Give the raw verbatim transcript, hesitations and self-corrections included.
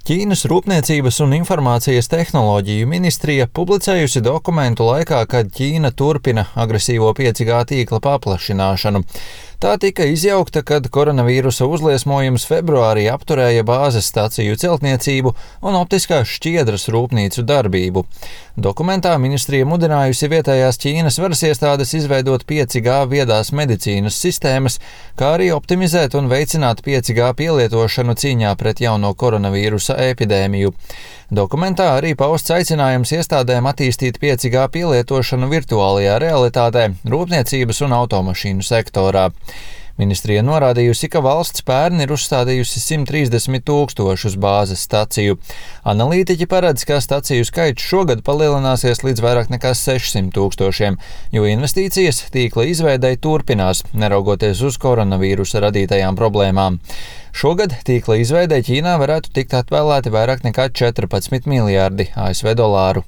Ķīnas Rūpniecības un informācijas tehnoloģiju ministrija publicējusi dokumentu laikā, kad Ķīna turpina agresīvo pieci G tīkla paplašināšanu. Tā tika izjaukta, kad koronavīrusa uzliesmojums februārī apturēja bāzes staciju celtniecību un optiskās šķiedras rūpnīcu darbību. Dokumentā ministrija mudinājusi vietējās Ķīnas varas iestādes izveidot pieci G viedās medicīnas sistēmas, kā arī optimizēt un veicināt pieci G pielietošanu cīņā pret jauno koronavīrusa epidēmiju. Dokumentā arī pausts aicinājums iestādēm attīstīt pieci G pielietošanu virtuālajā realitātē, rūpniecības un automašīnu sektorā. Ministrija norādījusi, ka valsts pērn ir uzstādījusi simt trīsdesmit tūkstošus bāzes staciju. Analītiķi paredz, ka staciju skaits šogad palielināsies līdz vairāk nekā sešsimt tūkstošiem, jo investīcijas tīkla izveidei turpinās, neraugoties uz koronavīrusa radītajām problēmām. Šogad tīkla izveidei Ķīnā varētu tikt atvēlēti vairāk nekā četrpadsmit miljārdi A S V dolāru.